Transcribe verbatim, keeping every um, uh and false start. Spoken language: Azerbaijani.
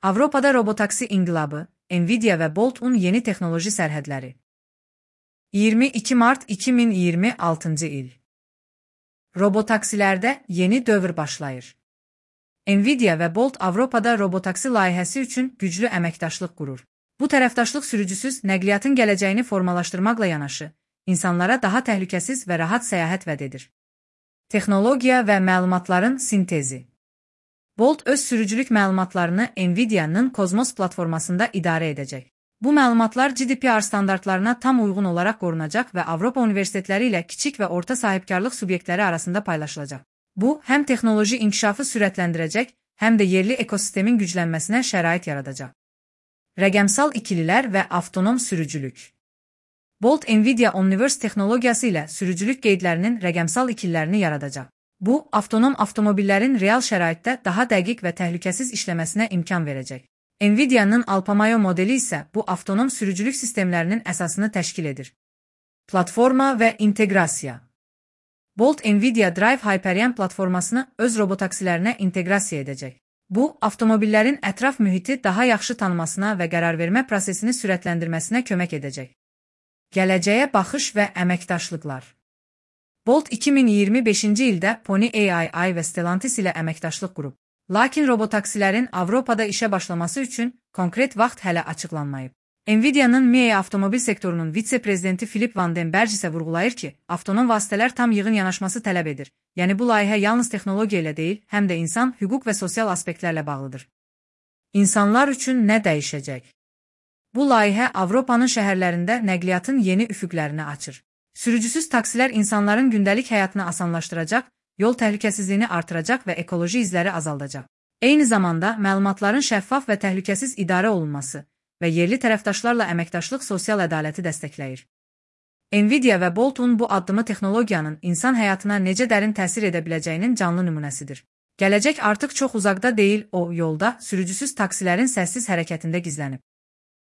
Avropada robotaksi inqilabı, Nvidia və Bolt-un yeni texnoloji sərhədləri. iyirmi iki mart iki min iyirmi altıncı il. Robotaksilərdə yeni dövr başlayır. Nvidia və Bolt Avropada robotaksi layihəsi üçün güclü əməkdaşlıq qurur. Bu tərəfdaşlıq sürücüsüz nəqliyyatın gələcəyini formalaşdırmaqla yanaşı, insanlara daha təhlükəsiz və rahat səyahət vəd edir. Texnologiya və məlumatların sintezi. Bolt öz sürücülük məlumatlarını Nvidia'nın Cosmos platformasında idarə edəcək. Bu məlumatlar G D P R standartlarına tam uyğun olaraq qorunacaq və Avropa universitetləri ilə kiçik və orta sahibkarlıq subyektləri arasında paylaşılacaq. Bu, həm texnoloji inkişafı sürətləndirəcək, həm də yerli ekosistemin güclənməsinə şərait yaradacaq. Rəqəmsal ikililər və avtonom sürücülük. Bolt Nvidia Omniverse texnologiyası ilə sürücülük qeydlərinin rəqəmsal ikililərini yaradacaq. Bu, avtonom avtomobillərin real şəraitdə daha dəqiq və təhlükəsiz işləməsinə imkan verəcək. Nvidia'nın Alpamayo modeli isə bu avtonom sürücülük sistemlərinin əsasını təşkil edir. Platforma və inteqrasiya. Bolt Nvidia Drive Hyperion platformasını öz robotaksilərinə inteqrasiya edəcək. Bu, avtomobillərin ətraf mühiti daha yaxşı tanımasına və qərarvermə prosesini sürətləndirməsinə kömək edəcək. Gələcəyə baxış və əməkdaşlıqlar. Bolt iki min iyirmi beşinci ildə Pony A I və Stellantis ilə əməkdaşlıq qurub. Lakin robotaksilərin Avropada işə başlaması üçün konkret vaxt hələ açıqlanmayıb. Nvidia'nın M I A avtomobil sektorunun vitse-prezidenti Philip Van den Berg isə vurğulayır ki, avtonom vasitələr tam yığın yanaşması tələb edir. Yəni bu layihə yalnız texnologiya ilə deyil, həm də insan, hüquq və sosial aspektlərlə bağlıdır. İnsanlar üçün nə dəyişəcək? Bu layihə Avropanın şəhərlərində nəqliyyatın yeni üfüqlərini açır. Sürücüsüz taksilər insanların gündəlik həyatını asanlaşdıracaq, yol təhlükəsizliyini artıracaq və ekoloji izləri azaldacaq. Eyni zamanda məlumatların şəffaf və təhlükəsiz idarə olunması və yerli tərəfdaşlarla əməkdaşlıq sosial ədaləti dəstəkləyir. Nvidia və Bolt-un bu addımı texnologiyanın insan həyatına necə dərin təsir edə biləcəyinin canlı nümunəsidir. Gələcək artıq çox uzaqda deyil, o yolda sürücüsüz taksilərin səssiz hərəkətində gizlənib.